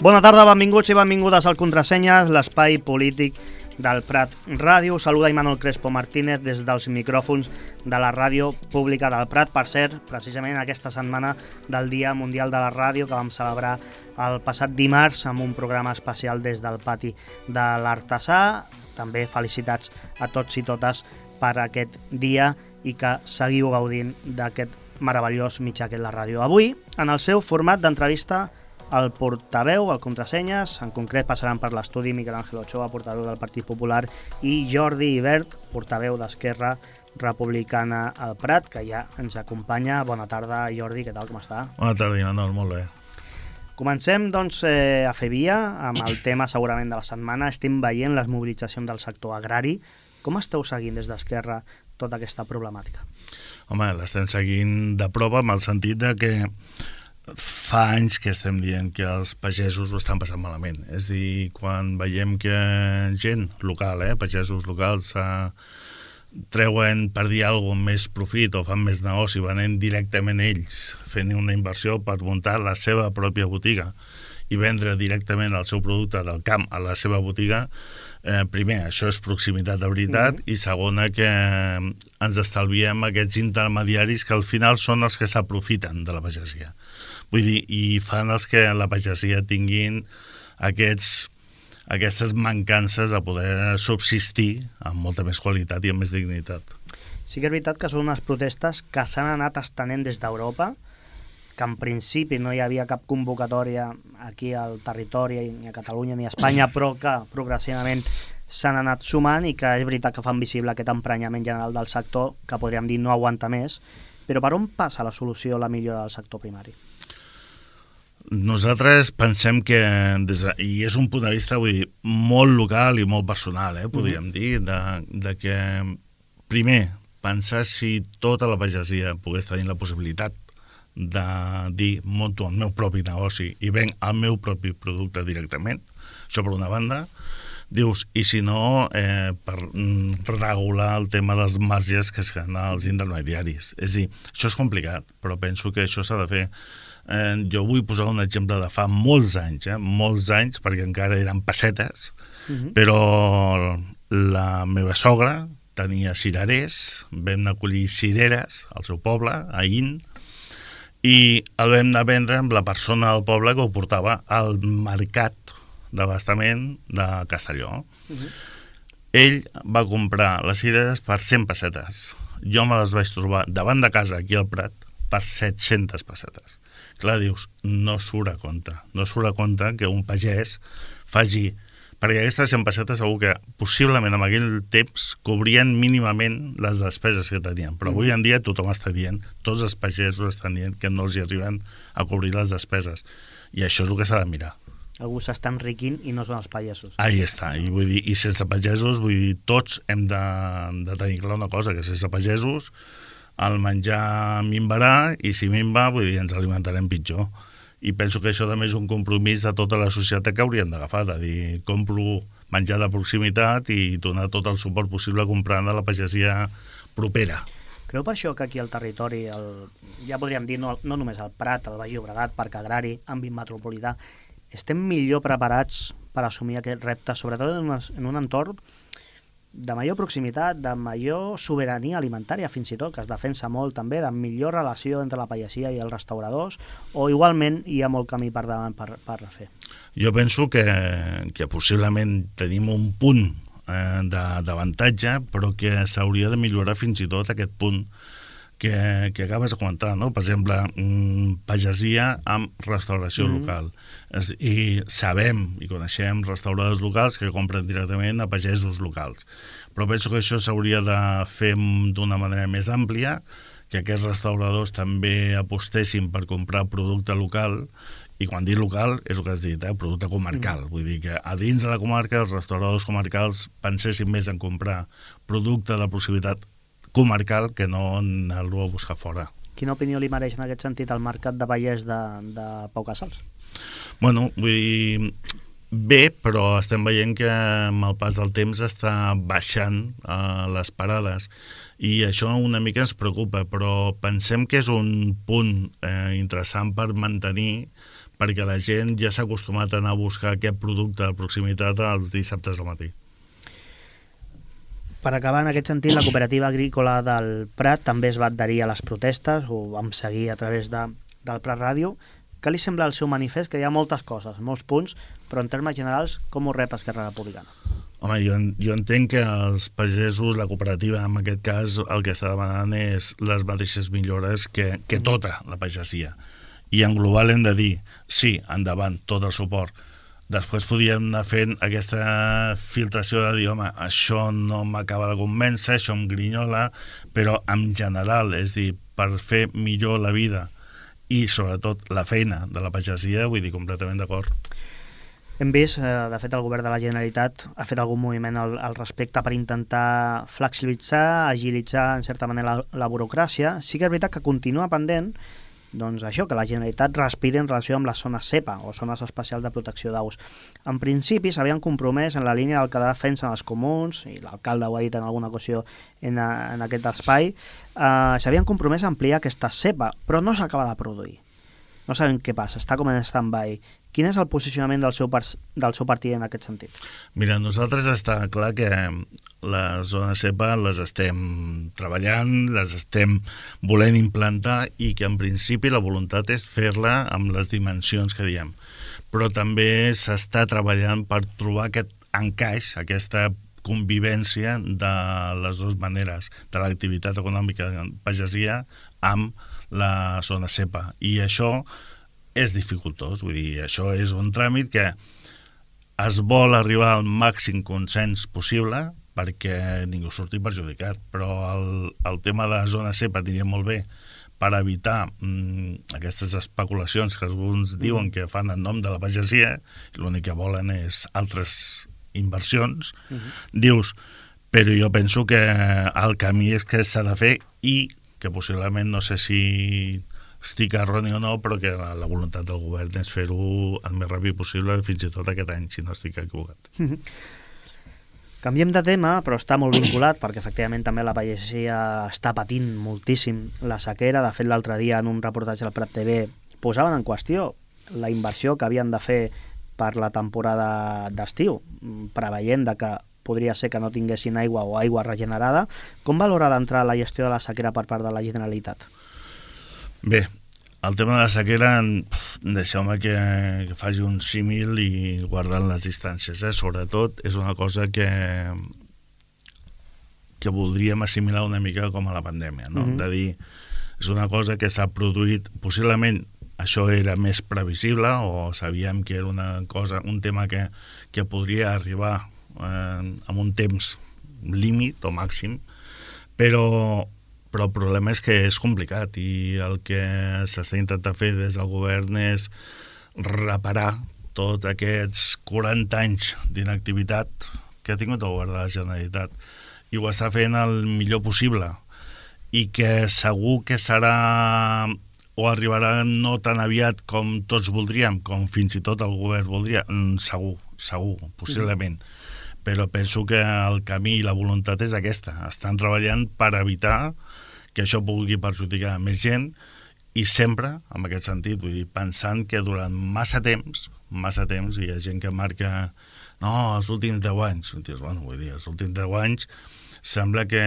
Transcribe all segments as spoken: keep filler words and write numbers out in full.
Bona tarda, benvinguts i benvingudes al Contrasenyes, l'espai polític del Prat Ràdio. Saluda Imanol Crespo Martínez des dels micròfons de la ràdio pública del Prat. Per cert, precisament aquesta setmana del Dia Mundial de la Ràdio, que vam celebrar el passat dimarts amb un programa especial des del pati de l'Artesà. També felicitats a tots i totes per aquest dia i que seguiu gaudint d'aquest meravellós mitjà que és la ràdio. Avui, en el seu format d'entrevista, el portaveu, el Contrasenyes, en concret passaran per l'estudi Miquel Àngel Ochoa, portaveu del Partit Popular, i Jordi Ibert, portaveu d'Esquerra Republicana al Prat, que ja ens acompanya. Bona tarda, Jordi, què tal, com està? Bona tarda, Imanol, molt bé. Comencem, doncs, eh, a fer via amb el tema, segurament, de la setmana. Estem veient les mobilitzacions del sector agrari. Com esteu seguint des d'Esquerra tota aquesta problemàtica? Home, l'estem seguint de prova, amb el sentit de que fa anys que estem dient que els pagesos ho estan passant malament. És a dir, quan veiem que gent local, eh, pagesos locals, eh, treuen, per dir alguna cosa, més profit o fan més negoci, venent directament ells, fent una inversió per muntar la seva pròpia botiga i vendre directament el seu producte del camp a la seva botiga, eh, primer, això és proximitat de veritat, mm-hmm. i segona, que ens estalviem aquests intermediaris que al final són els que s'aprofiten de la pagesia. Vull dir, i fan els que la pagesia tinguin aquests, aquestes mancances a poder subsistir amb molta més qualitat i amb més dignitat. Sí que és veritat que són unes protestes que s'han anat estenent des d'Europa, que en principi no hi havia cap convocatòria aquí al territori, ni a Catalunya ni a Espanya, però que progressivament s'han anat sumant i que és veritat que fan visible aquest emprenyament general del sector, que podríem dir no aguanta més. Però per on passa la solució, la millora del sector primari? Nosaltres pensem que, des de, i és un punt de vista, vull dir, molt local i molt personal, eh, podríem mm-hmm. dir, de, de que, primer, pensar si tota la pagesia pogués tenir la possibilitat de dir, monto el meu propi negoci i venc el meu propi producte directament, això per una banda. Dius, i si no, eh, per regular el tema dels marges que es ganen els intermediaris. És a dir, això és complicat, però penso que això s'ha de fer. Eh, jo vull posar un exemple de fa molts anys, eh, molts anys, perquè encara eren pessetes, uh-huh. però la meva sogra tenia cirerers, vam anar a collir cireres al seu poble, a In, i el vam anar a vendre amb la persona del poble que ho portava al mercat d'abastament de Castelló. Uh-huh. Ell va comprar les cireres per cent pessetes. Jo me les vaig trobar davant de casa, aquí al Prat, per set-centes pessetes. Clar, dius, no surt a compte. No surt a compte que un pagès faci... Perquè aquestes cent pessetes segur que possiblement en aquell temps cobrien mínimament les despeses que tenien. Però avui en dia tothom està dient, tots els pagesos estan dient que no els hi arriben a cobrir les despeses. I això és el que s'ha de mirar. Algú s'està enriquint i no són els pagesos. Ahí està, i, vull dir, i sense pagesos, vull dir, tots hem de, de tenir clar una cosa, que sense pagesos el menjar minvarà, i si minva, vull dir, ens alimentarem pitjor. I penso que això també és un compromís de tota la societat que hauríem d'agafar, de dir, compro menjar de proximitat i donar tot el suport possible comprant a la pagesia propera. Creu per això que aquí al territori, el, ja podríem dir, no, no només al Prat, al Baix Llobregat, Parc Agrari, àmbit metropolità, estem millor preparats per assumir aquest repte, sobretot en, una, en un entorn de major proximitat, de major sobirania alimentària, fins i tot, que es defensa molt també, de millor relació entre la pagesia i els restauradors, o igualment hi ha molt camí per davant per, per fer? Jo penso que, que possiblement tenim un punt eh, d'avantatge, però que s'hauria de millorar fins i tot aquest punt que, que acabes de comentar, no? Per exemple, mmm, pagesia amb restauració mm. local. Es, I sabem i coneixem restauradors locals que compren directament a pagesos locals. Però penso que això s'hauria de fer d'una manera més àmplia, que aquests restauradors també apostessin per comprar producte local, i quan dic local és el que has dit, eh? Producte comarcal. Mm. Vull dir que a dins de la comarca els restauradors comarcals pensessin més en comprar producte de proximitat comarcal que no anar-lo a buscar fora. Quina opinió li mereix en aquest sentit el mercat de Vallès de, de Pau Casals? Bueno, vull dir, bé, però estem veient que amb el pas del temps està baixant eh, les parades i això una mica ens preocupa, però pensem que és un punt eh, interessant per mantenir perquè la gent ja s'ha acostumat a anar a buscar aquest producte de proximitat els dissabtes al matí. Per acabar, en aquest sentit, la cooperativa agrícola del Prat també es va adherir a les protestes, ho vam seguir a través de, del Prat Ràdio. Què li sembla el seu manifest? Que hi ha moltes coses, molts punts, però en termes generals, com ho rep Esquerra Republicana? Home, jo, jo entenc que els pagesos, la cooperativa, en aquest cas, el que està demanant és les mateixes millores que, que tota la pagesia. I en global hem de dir, sí, endavant, tot el suport. Després podríem anar fent aquesta filtració de dir, home, això no m'acaba de convèncer, això em grinyola, però en general, és dir, per fer millor la vida i sobretot la feina de la pagesia, vull dir, completament d'acord. Hem vist, eh, de fet, el govern de la Generalitat ha fet algun moviment al, al respecte per intentar flexibilitzar, agilitzar, en certa manera, la, la burocràcia. Sí que és veritat que continua pendent doncs això, que la Generalitat respiri en relació amb les zones SEPA, o zones especials de protecció d'aus. En principi s'havien compromès en la línia del que defensen els comuns, i l'alcalde ho ha dit en alguna ocasió en, a, en aquest espai, eh, s'havien compromès a ampliar aquesta SEPA, però no s'acaba de produir. No sabem què passa, està com en stand-by. Quin és el posicionament del seu, del seu partit en aquest sentit? Mira, nosaltres està clar que les zones SEPA les estem treballant, les estem volent implantar i que en principi la voluntat és fer-la amb les dimensions que diem. Però també s'està treballant per trobar aquest encaix, aquesta convivència de les dues maneres, de l'activitat econòmica de pagesia amb la zona SEPA. I això és dificultós, vull dir, això és un tràmit que es vol arribar al màxim consens possible perquè ningú surti perjudicat, però el, el tema de la zona SEPA diria molt bé per evitar mm, aquestes especulacions que alguns diuen que fan en nom de la pagesia, i l'únic que volen és altres inversions, uh-huh. Dius, però jo penso que el camí és que s'ha de fer i que possiblement, no sé si estic erroni o no, però que la, la voluntat del govern és fer-ho el més ràpid possible, fins i tot aquest any, si no estic equivocat. Uh-huh. Canviem de tema, però està molt vinculat, perquè efectivament també la pagesia està patint moltíssim la sequera. De fet, l'altre dia, en un reportatge del Prat T V, posaven en qüestió la inversió que havien de fer per la temporada d'estiu, preveient de que podria ser que no tinguessin aigua o aigua regenerada. Com valora d'entrar la gestió de la sequera per part de la Generalitat? Bé, el tema de la sequera, deixeu-me que, que faci un símil i guardant les distàncies. Eh? Sobretot és una cosa que, que voldríem assimilar una mica com a la pandèmia, no? Mm-hmm. De dir, és una cosa que s'ha produït, possiblement això era més previsible o sabíem que era una cosa, un tema que, que podria arribar eh, amb un temps límit o màxim, però però el problema és que és complicat i el que s'està intentant fer des del govern és reparar tots aquests quaranta anys d'inactivitat que ha tingut el govern de la Generalitat, i ho està fent el millor possible, i que segur que serà o arribarà no tan aviat com tots voldríem, com fins i tot el govern voldria, segur, segur, possiblement. Però penso que el camí i la voluntat és aquesta. Estan treballant per evitar que això pugui perjudicar més gent i sempre, en aquest sentit, vull dir, pensant que durant massa temps, massa temps, hi ha gent que marca no, els últims deu anys. Dius, bueno, vull dir, els últims deu anys sembla que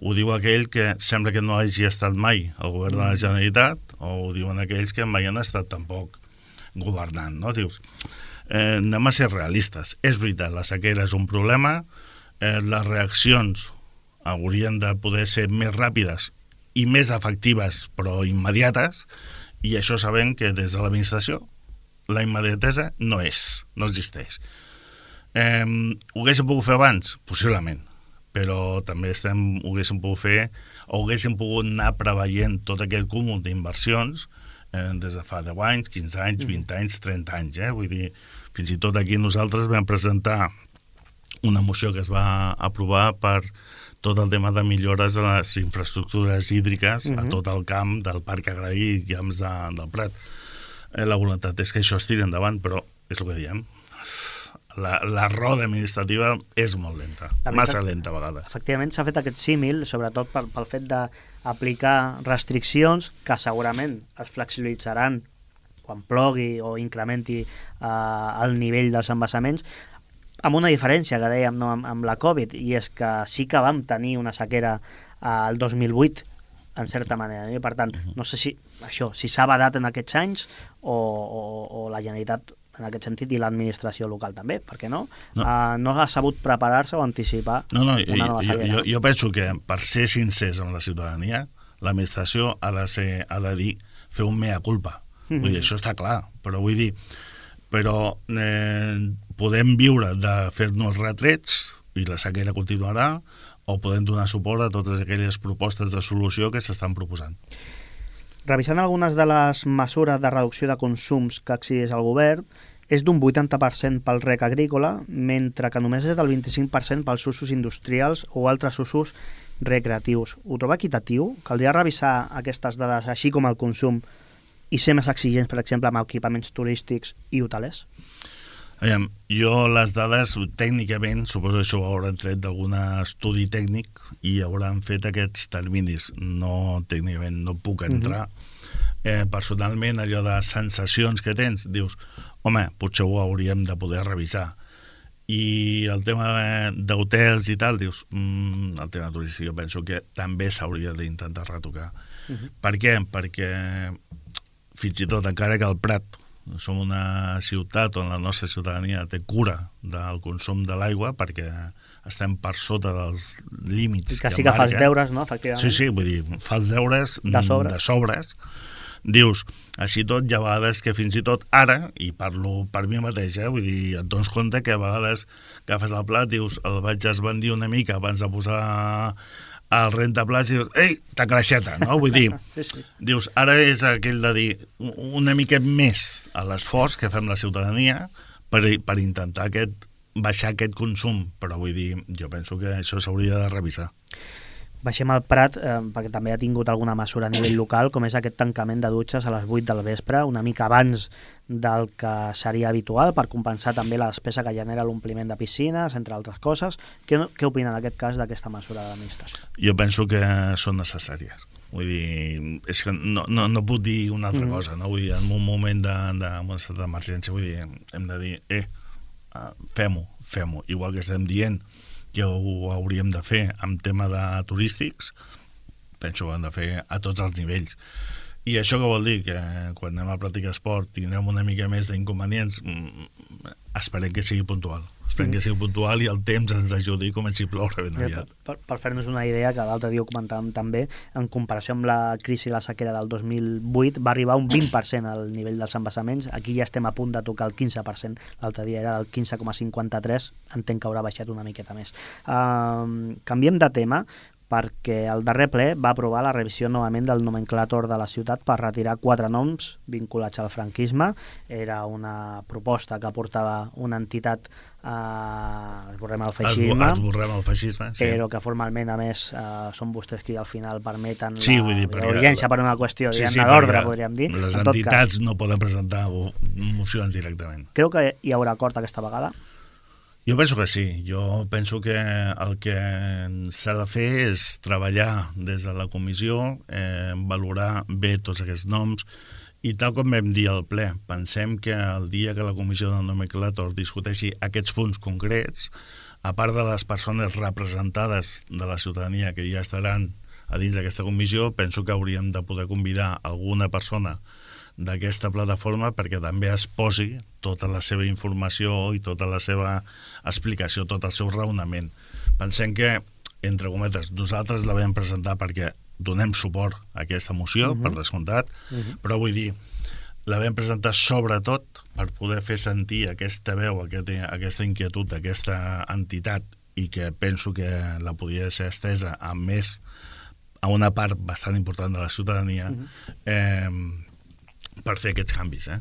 ho diu aquell que sembla que no hagi estat mai al govern de la Generalitat, o ho diuen aquells que mai han estat tampoc governant, no? Dius, Eh, anem a ser realistes. És veritat, la sequera és un problema, eh, les reaccions haurien de poder ser més ràpides i més efectives, però immediates, i això sabem que des de l'administració la immediatesa no és, no existeix. Eh, ho haguéssim pogut fer abans? Possiblement, però també estem, ho haguéssim pogut fer, o haguéssim pogut anar preveient tot aquest cúmul d'inversions eh, des de fa deu anys, quinze anys, vint anys, trenta anys, eh? Vull dir, fins i tot aquí nosaltres vam presentar una moció que es va aprovar per tot el tema de millores de les infraestructures hídriques uh-huh. a tot el camp del Parc Agrari i camps de, del Prat. Eh, la voluntat és que això es tiri endavant, però és el que diem. La, la roda administrativa és molt lenta, massa lenta a vegades. Efectivament, s'ha fet aquest símil, sobretot pel, pel fet d'aplicar restriccions que segurament es flexibilitzaran quan plogui o incrementi eh, el nivell dels embassaments, amb una diferència que dèiem, no, amb, amb la Covid, i és que sí que vam tenir una sequera el dos mil vuit, en certa manera. I per tant, no sé si això si s'ha badat en aquests anys o, o, o la Generalitat en aquest sentit i l'administració local també, perquè no? No, uh, no ha sabut preparar-se o anticipar no, no, una nova sequera. Jo, jo penso que per ser sincers amb la ciutadania, l'administració ha de ser, ha de dir, fer un mea culpa. Mm-hmm. Vull dir, això està clar, però vull dir, però eh, podem viure de fer-nos retrets i la sequera continuarà, o podem donar suport a totes aquelles propostes de solució que s'estan proposant. Revisant algunes de les mesures de reducció de consums que exigeix el govern, és d'un vuitanta per cent pel rec agrícola, mentre que només és del vint-i-cinc per cent pels usos industrials o altres usos recreatius. Ho troba equitatiu? Caldria revisar aquestes dades, així com el consum, i ser més exigents, per exemple, amb equipaments turístics i hotelers? Aviam, jo les dades tècnicament, suposo que això ho hauran tret d'algun estudi tècnic i hauran fet aquests terminis. No, tècnicament no puc entrar. Mm-hmm. eh, personalment, allò de sensacions que tens, dius, home, potser ho hauríem de poder revisar. I el tema d'hotels i tal, dius, mm, el tema turístic, jo penso que també s'hauria d'intentar retocar. Mm-hmm. Per què? Perquè fins i tot, encara que el Prat som una ciutat on la nostra ciutadania té cura del consum de l'aigua, perquè estem per sota dels límits que, que sí que fas deures, no? Efectivament. Sí, sí, vull dir, fas deures de sobres. de sobres. Dius, així tot hi ha vegades que fins i tot ara, i parlo per mi mateix, eh, vull dir, et dones compte que a vegades agafes el plat, dius, el vaig esbandir una mica abans de posar el rentaplats i dius, ei, ta creixeta, no? Vull dir, sí, sí. Dius, ara és aquell de dir una mica més a l'esforç que fem la ciutadania per, per intentar aquest, baixar aquest consum, però vull dir, jo penso que això s'hauria de revisar. Baixem al Prat, eh, perquè també ha tingut alguna mesura a nivell local, com és aquest tancament de dutxes a les vuit del vespre, una mica abans del que seria habitual, per compensar també la despesa que genera l'ompliment de piscines, entre altres coses. Què, què opina en aquest cas d'aquesta mesura de l'administració? Jo penso que són necessàries. Vull dir, és que no, no, no puc dir una altra mm. cosa, no? Vull dir, en un moment d'emergència, vull dir, hem de dir, eh, fem-ho, fem-ho, igual que estem dient que ho hauríem de fer amb tema de turístics, penso que ho hem de fer a tots els nivells. I això què vol dir? Que quan anem a practicar esport tindrem una mica més d'inconvenients, esperem que sigui puntual. Esperem que sigui puntual i el temps ens ajudi i comenci a ploure ben aviat. Per, per fer-nos una idea, que l'altre dia ho comentàvem també, en comparació amb la crisi i la sequera del dos mil vuit, va arribar un vint per cent al nivell dels embassaments. Aquí ja estem a punt de tocar el quinze per cent. L'altre dia era del quinze coma cinquanta-tres, entenc que haurà baixat una miqueta més. Uh, canviem de tema, perquè el darrer ple va aprovar la revisió novament del nomenclàtor de la ciutat per retirar quatre noms vinculats al franquisme. Era una proposta que portava una entitat eh, esborrem el feixisme, esborrem el feixisme sí. Però que formalment, a més, eh, són vostès qui al final permeten sí, la, dir, la urgència per una qüestió sí, sí, d'ordre, podríem dir. Les en entitats cas, no poden presentar mocions directament. Creu que hi haurà acord aquesta vegada? Jo penso que sí. Jo penso que el que s'ha de fer és treballar des de la comissió, eh, valorar bé tots aquests noms, i tal com vam dir al ple, pensem que el dia que la comissió del nomenclàtor discuteixi aquests punts concrets, a part de les persones representades de la ciutadania que ja estaran a dins d'aquesta comissió, penso que hauríem de poder convidar alguna persona d'aquesta plataforma perquè també es posi tota la seva informació i tota la seva explicació, tot el seu raonament. Pensem que, entre cometes, nosaltres la vam presentar perquè donem suport a aquesta moció, uh-huh. per descomptat, uh-huh. però vull dir, la vam presentar sobretot per poder fer sentir aquesta veu, aquesta, aquesta inquietud, aquesta entitat, i que penso que la podia ser estesa a més, a una part bastant important de la ciutadania, uh-huh. eh, per fer aquests canvis, eh?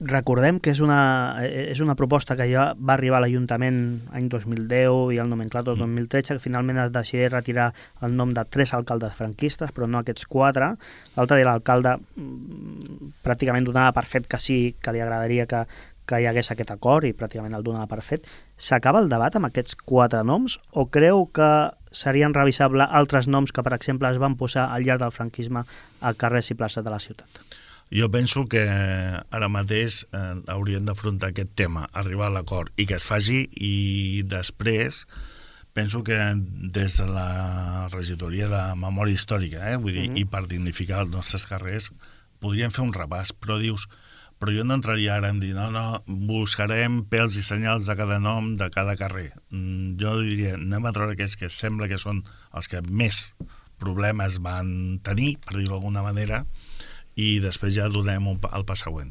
Recordem que és una, és una proposta que ja va arribar a l'Ajuntament any dos mil deu i el nomenclàtor dos mil tretze, que finalment es decideix retirar el nom de tres alcaldes franquistes, però no aquests quatre. L'altre dia l'alcalde pràcticament donava per fet que sí, que li agradaria que, que hi hagués aquest acord i pràcticament el donava per fet. S'acaba el debat amb aquests quatre noms o creu que serien revisables altres noms que, per exemple, es van posar al llarg del franquisme a carrers i places de la ciutat? Jo penso que ara mateix eh, hauríem d'afrontar aquest tema, arribar a l'acord i que es faci, i després penso que des de la regidoria de memòria històrica, eh, vull dir, mm-hmm. i per dignificar els nostres carrers, podríem fer un repàs, però dius, però jo no entraria ara en dir, no, no, buscarem pèls i senyals de cada nom de cada carrer. Mm, jo diria, anem a treure aquells que sembla que són els que més problemes van tenir, per dir-ho d'alguna manera, i després ja donem el pas següent.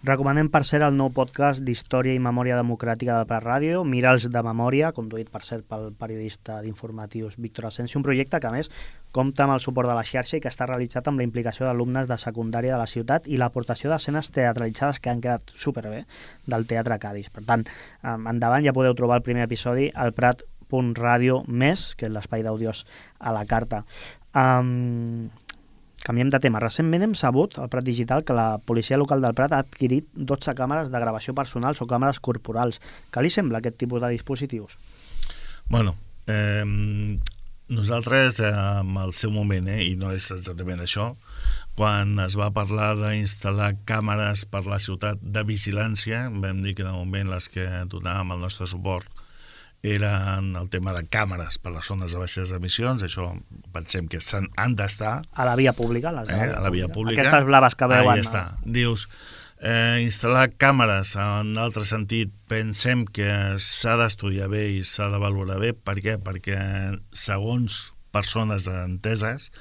Recomanem, per cert, el nou podcast d'Història i Memòria Democràtica del Prat Ràdio, Miralls de Memòria, conduït, per cert, pel periodista d'informatius Víctor Asensio, un projecte que, a més, compta amb el suport de la xarxa i que està realitzat amb la implicació d'alumnes de secundària de la ciutat i l'aportació d'escenes teatralitzades que han quedat superbé del Teatre Cadis. Per tant, endavant, ja podeu trobar el primer episodi al prat punt radio més, que és l'espai d'àudios a la carta. Um, canviem de tema. Recentment hem sabut, al Prat Digital, que la policia local del Prat ha adquirit dotze càmeres de gravació personals o càmeres corporals. Què li sembla aquest tipus de dispositius? Bueno, eh, nosaltres, eh, en el seu moment, eh, i no és exactament això, quan es va parlar d'instal·lar càmeres per la ciutat de vigilància, vam dir que de moment les que donàvem el nostre suport eren el tema de càmeres per les zones de baixes emissions, això pensem que han d'estar. A la via pública? Les de la, eh, via a la via pública. Aquestes blaves que veuen. Ahí està. Dius, eh, instal·lar càmeres en altre sentit, pensem que s'ha d'estudiar bé i s'ha de valorar bé. Per què? Perquè segons persones enteses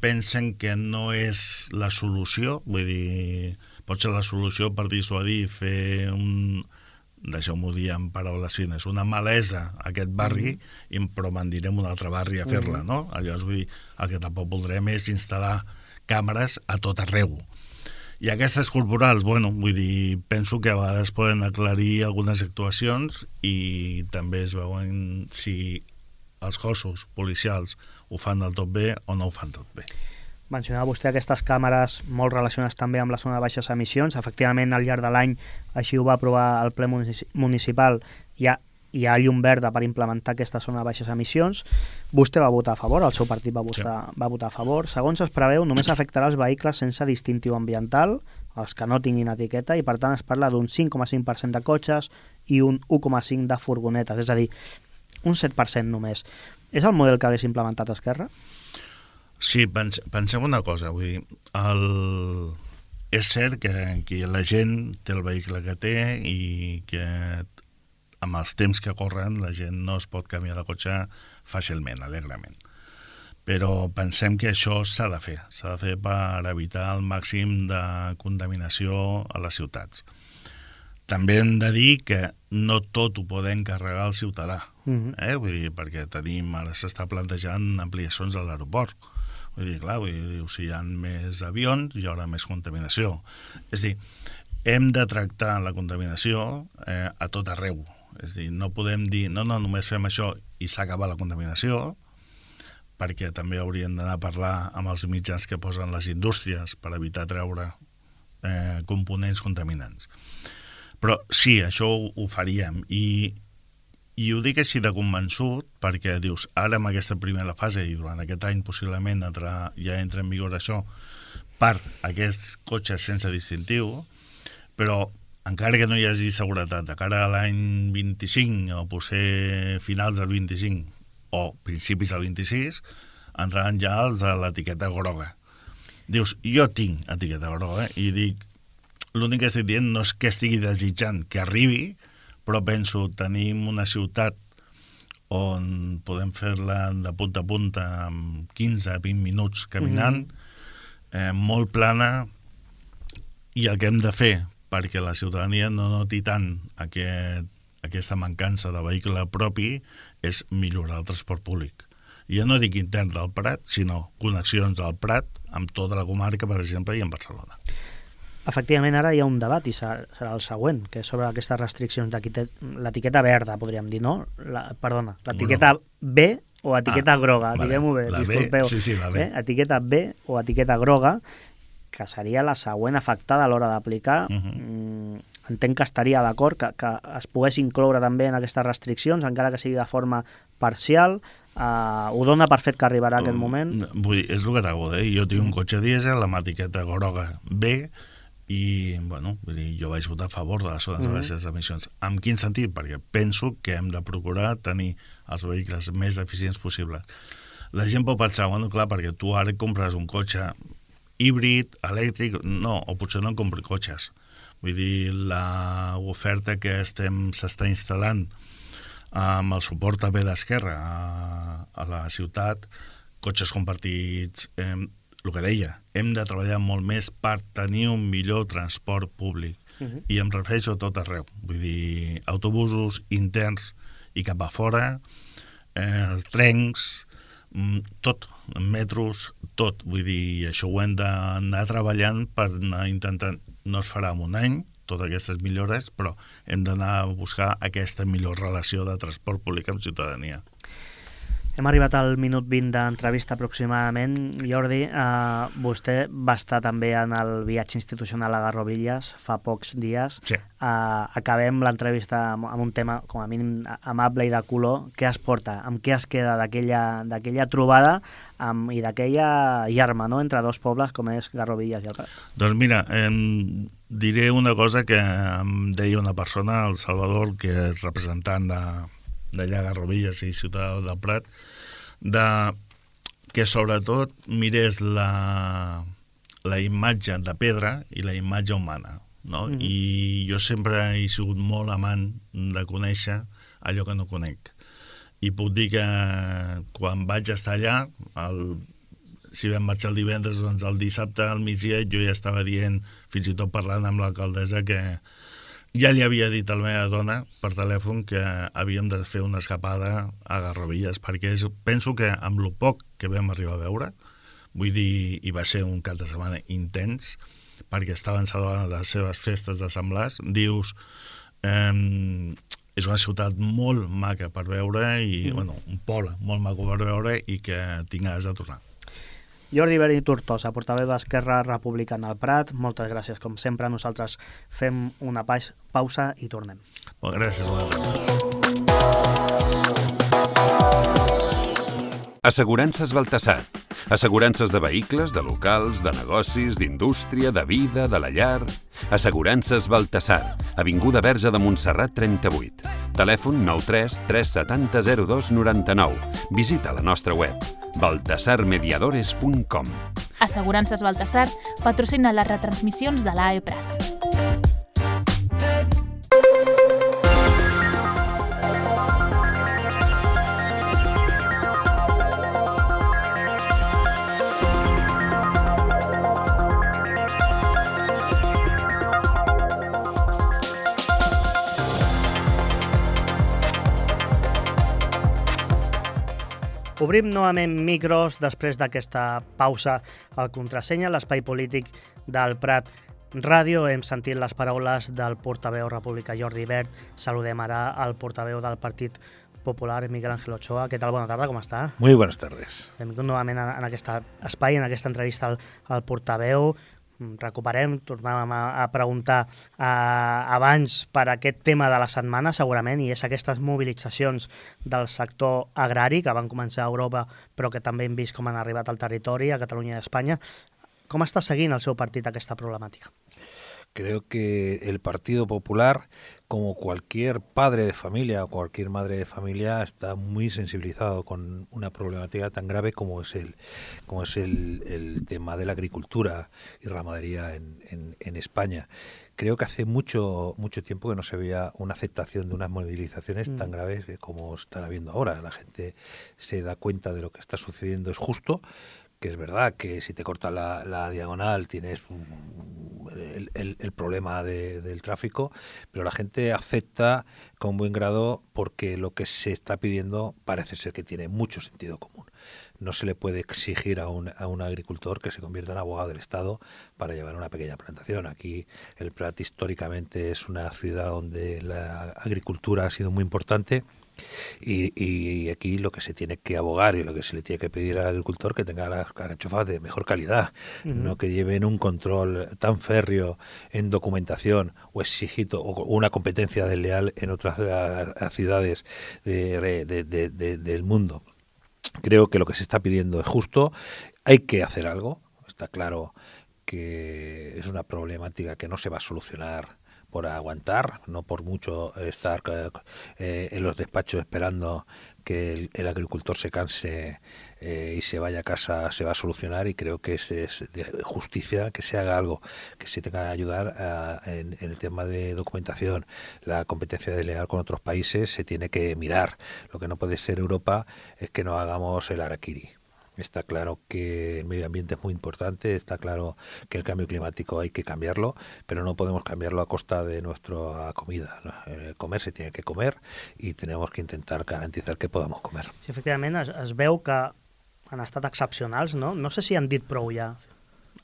pensen que no és la solució, vull dir, pot ser la solució per dissuadir, fer un... deixeu-m'ho dir en paraules fines, una malesa a aquest barri, mm. però me'n direm un altre barri a fer-la, mm. no? Llavors, vull dir, el que tampoc voldrem és instal·lar càmeres a tot arreu. I aquestes corporals, bueno, vull dir, penso que a vegades poden aclarir algunes actuacions i també es veuen si els cossos policials ho fan del tot bé o no ho fan tot bé. Mencionava vostè aquestes càmeres molt relacionades també amb la zona de baixes emissions. Efectivament, al llarg de l'any, així ho va aprovar el ple municipal, hi ha, hi ha llum verda per implementar aquesta zona de baixes emissions. Vostè va votar a favor, el seu partit va votar, sí. va votar a favor. Segons es preveu, només afectarà els vehicles sense distintiu ambiental, els que no tinguin etiqueta, i per tant es parla d'un cinc coma cinc per cent de cotxes i un u coma cinc de furgonetes, és a dir, un set per cent només. És el model que hagués implementat Esquerra? Sí, pense, pensem una cosa, vull dir, el... és cert que, que la gent té el vehicle que té i que amb els temps que corren la gent no es pot canviar de cotxe fàcilment, alegrement. Però pensem que això s'ha de fer, s'ha de fer per evitar el màxim de contaminació a les ciutats. També hem de dir que no tot ho podem carregar al ciutadà, mm-hmm. eh? Vull dir, perquè tenim, ara s'està plantejant ampliacions a l'aeroport. Vull dir, clar, vull dir, si hi ha més avions hi haurà més contaminació. És a dir, hem de tractar la contaminació eh, a tot arreu. És a dir, no podem dir, no, no, només fem això i s'ha acabat la contaminació, perquè també hauríem d'anar a parlar amb els mitjans que posen les indústries per evitar treure eh, components contaminants. Però sí, això ho, ho faríem, i I ho dic així de convençut perquè dius, ara en aquesta primera fase i durant aquest any possiblement entra, ja entra en vigor això per aquests cotxes sense distintiu, però encara que no hi hagi seguretat de cara a l'any vint-i-cinc o potser finals del vint-i-cinc o principis del vint-i-sis, entraran ja els de l'etiqueta groga. Dius, jo tinc etiqueta groga i dic, l'únic que estic dient no és que estigui desitjant que arribi, però penso, tenim una ciutat on podem fer-la de punta a punta en quinze a vint minuts caminant, mm-hmm. eh, molt plana, i el que hem de fer perquè la ciutadania no noti tant aquest, aquesta mancança de vehicle propi és millorar el transport públic. I ja no dic intern del Prat, sinó connexions al Prat amb tota la comarca, per exemple, i en Barcelona. Efectivament, ara hi ha un debat, i serà el següent, que és sobre aquestes restriccions de l'etiqueta verda, podríem dir, no? La, perdona, l'etiqueta B o etiqueta ah, groga, vale. Diguem-ho bé, la disculpeu. B, sí, sí, la B. Eh? Etiqueta B o etiqueta groga, que seria la següent afectada a l'hora d'aplicar. Uh-huh. entenc que estaria d'acord que, que es pogués incloure també en aquestes restriccions, encara que sigui de forma parcial. Uh, ho dona per fet que arribarà aquest moment? Vull dir, és el que t'hago de dir. Jo tinc un cotxe dièsel, la etiqueta groga B, i bueno, vull dir, jo vaig votar a favor de les zones de baixes emissions. En quin sentit? Perquè penso que hem de procurar tenir els vehicles més eficients possibles. La gent pot pensar, bueno, clar, perquè tu ara compres un cotxe híbrid, elèctric, no, o potser no compri cotxes. Vull dir, l'oferta que estem s'està instal·lant amb el suport també d'Esquerra a, a la ciutat, cotxes compartits, eh, el que deia, hem de treballar molt més per tenir un millor transport públic. Uh-huh. I em refereixo a tot arreu. Vull dir, autobusos interns i cap a fora, eh, els trens, tot, metros, tot. Vull dir, això ho hem d'anar treballant per anar intentant, no es farà en un any, totes aquestes millores, però hem d'anar a buscar aquesta millor relació de transport públic amb ciutadania. Hem arribat al minut vint d'entrevista aproximadament. Jordi, eh, vostè va estar també en el viatge institucional a Garrovillas fa pocs dies. Sí. Eh, acabem l'entrevista amb, amb un tema com a mínim amable i de color. Què es porta? Amb què es queda d'aquella trobada amb, i d'aquella llarma, no?, entre dos pobles com és Garrovillas i el Prat? Doncs mira, eh, diré una cosa que em deia una persona, el Salvador, que és representant de d'allà a Garrovillas i Ciutat del Prat, de que sobretot mirés la, la imatge de pedra i la imatge humana, no? Mm-hmm. I jo sempre he sigut molt amant de conèixer allò que no conec. I puc dir que quan vaig estar allà, el, si vam marxar el divendres, doncs el dissabte al migdia jo ja estava dient, fins i tot parlant amb l'alcaldessa, que ja li havia dit a la meva dona per telèfon que havíem de fer una escapada a Garrovillas, perquè és, penso que amb el poc que vam arribar a veure, vull dir, i va ser un cap de setmana intens, perquè estaven celebrant les seves festes de Semblars, dius, eh, és una ciutat molt maca per veure, i mm. bueno, un poble molt maco per veure i que tinc ganes de tornar. Jordi Bert i Tortosa, portaveu d'Esquerra Republicana al Prat, moltes gràcies. Com sempre, nosaltres fem una pausa i tornem. Bon, gràcies. Assegurances Baltasar. Assegurances de vehicles, de locals, de negocis, d'indústria, de vida, de la llar. Assegurances Baltasar. Avinguda Verge de Montserrat trenta-vuit. Telèfon nou tres tres set zero zero dos nou nou. Visita la nostra web baltasar mediadores punt com. Assegurances Baltasar patrocina les retransmissions de l'A E Prat. Obrim novament micros després d'aquesta pausa al Contrasenya, l'espai polític del Prat Ràdio. Hem sentit les paraules del portaveu republicà Jordi Bert. Saludem ara al portaveu del Partit Popular, Miguel Ángel Ochoa. Què tal? Bona tarda, com està? Muy buenas tardes. Benvingut novament en aquest espai, en aquesta entrevista al, al portaveu. Recuperem, tornàvem a, a preguntar eh, abans per aquest tema de la setmana, segurament, i és aquestes mobilitzacions del sector agrari que van començar a Europa, però que també hem vist com han arribat al territori, a Catalunya i a Espanya. Com està seguint el seu partit aquesta problemàtica? Creo que el Partido Popular, como cualquier padre de familia o cualquier madre de familia, está muy sensibilizado con una problemática tan grave como es el, como es el, el tema de la agricultura y ramadería en, en, en España. Creo que hace mucho mucho tiempo que no se veía una aceptación de unas movilizaciones mm. tan graves como están habiendo ahora. La gente se da cuenta de lo que está sucediendo, es justo, que es verdad que si te cortas la, la diagonal tienes el, el, el problema de, del tráfico, pero la gente acepta con buen grado porque lo que se está pidiendo parece ser que tiene mucho sentido común. No se le puede exigir a un, a un agricultor que se convierta en abogado del Estado para llevar una pequeña plantación. Aquí el Prat históricamente es una ciudad donde la agricultura ha sido muy importante Y, y aquí lo que se tiene que abogar y lo que se le tiene que pedir al agricultor que tenga las alcachofas de mejor calidad, uh-huh. no que lleven un control tan férreo en documentación o exigido o una competencia desleal en otras ciudades de, de, de, de, del mundo. Creo que lo que se está pidiendo es justo, hay que hacer algo, está claro que es una problemática que no se va a solucionar por aguantar, no por mucho estar eh, en los despachos esperando que el, el agricultor se canse eh, y se vaya a casa, se va a solucionar, y creo que es, es de justicia que se haga algo, que se tenga que ayudar a, en, en el tema de documentación. La competencia desleal con otros países se tiene que mirar. Lo que no puede ser Europa es que no hagamos el harakiri. Está claro que el medio ambiente es muy importante, está claro que el cambio climático hay que cambiarlo, pero no podemos cambiarlo a costa de nuestra comida, ¿no? Eh, comer se tiene que comer y tenemos que intentar garantizar que podamos comer. Sí, efectivament, es, es veu que han estat excepcionals, no? No sé si han dit prou ja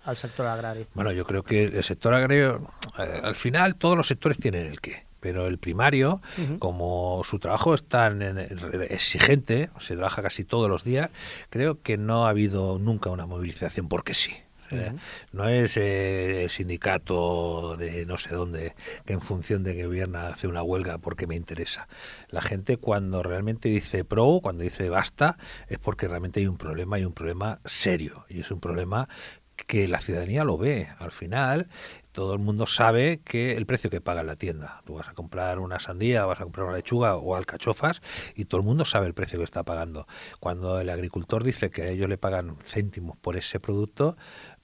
al sector agrari. Bueno, yo creo que el sector agrario, eh, al final todos los sectores tienen el qué. Pero el primario, uh-huh. como su trabajo es tan exigente, se trabaja casi todos los días, creo que no ha habido nunca una movilización porque sí. O sea, uh-huh. no es eh, el sindicato de no sé dónde que en función de que gobierna hace una huelga porque me interesa. La gente cuando realmente dice pro, cuando dice basta, es porque realmente hay un problema, hay un problema serio, y es un problema que la ciudadanía lo ve. Al final todo el mundo sabe que el precio que paga en la tienda, tú vas a comprar una sandía, vas a comprar una lechuga o alcachofas y todo el mundo sabe el precio que está pagando. Cuando el agricultor dice que a ellos le pagan céntimos por ese producto,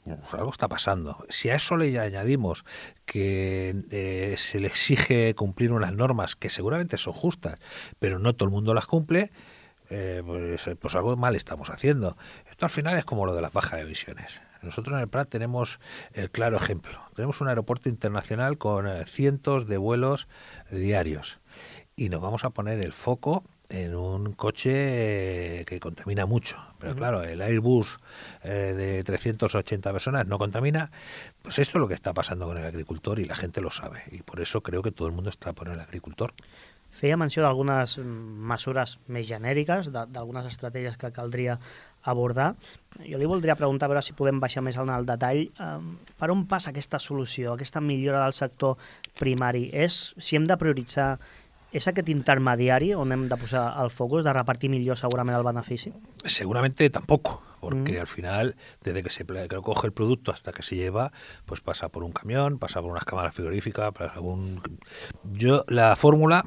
pues algo está pasando. Si a eso le añadimos que eh, se le exige cumplir unas normas que seguramente son justas, pero no todo el mundo las cumple, eh, pues, pues algo mal estamos haciendo. Esto al final es como lo de las bajas emisiones. Nosotros en el Prat tenemos el claro ejemplo. Tenemos un aeropuerto internacional con eh, cientos de vuelos diarios y nos vamos a poner el foco en un coche eh, que contamina mucho. Pero uh-huh. claro, el Airbus eh, de trescientas ochenta personas no contamina. Pues esto es lo que está pasando con el agricultor y la gente lo sabe. Y por eso creo que todo el mundo está por el agricultor. Feia menció d'algunes mesures més genèriques, d'algunes estratègies que caldria abordar. Jo li voldria preguntar, a veure si podem baixar més en el detall, eh, per on passa aquesta solució, aquesta millora del sector primari? És, si hem de prioritzar, és aquest intermediari on hem de posar el focus, de repartir millor segurament el benefici? Seguramente tampoco, porque mm. al final, desde que se que coge el producto hasta que se lleva, pues pasa por un camión, pasa por unas cámaras frigoríficas, pasa por un... Yo, la fórmula...